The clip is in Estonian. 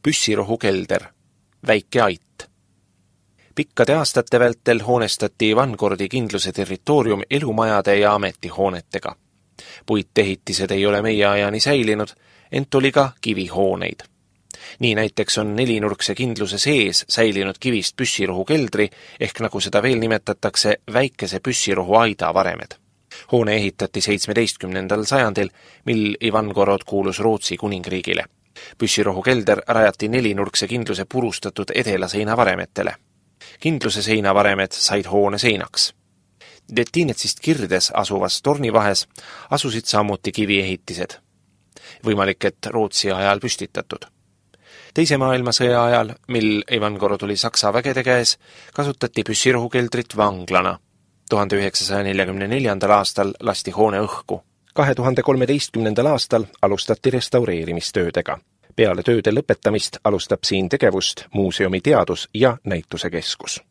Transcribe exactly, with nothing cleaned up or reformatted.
püssirohukelder, väike ait. Pikkade aastate vältel hoonestati Ivangorodi kindluse territoorium elumajade ja ametihoonetega. Puitehitised ei ole meie ajani säilinud, ent oli ka kivihooneid. Nii näiteks on nelinurkse kindluse sees säilinud kivist püssirohukeldri ehk nagu seda veel nimetatakse väikese püssirohu aida varemed. Hoone ehitati seitsmeteistkümnendal sajandil, mil Ivangorod kuulus Rootsi kuningriigile. Püssirohukelder rajati nelinurkse kindluse purustatud edelaseina varemetele. Kindluse seinavaremed said hoone seinaks. Dettinetsist kirdes asuvas tornivahes asusid samuti kiviehitised. Võimalik, et Rootsi ajal püstitatud. Teise maailmasõja ajal, mil Ivangorod oli Saksa vägede käes, kasutati püssirohukeldrit vanglana. tuhande üheksasaja neljakümne neljandal aastal lasti hoone õhku. kahe tuhande kolmeteistkümnendal aastal alustati restaureerimistöödega. Peale tööde lõpetamist alustab siin tegevust muuseumi teadus- ja näitusekeskus.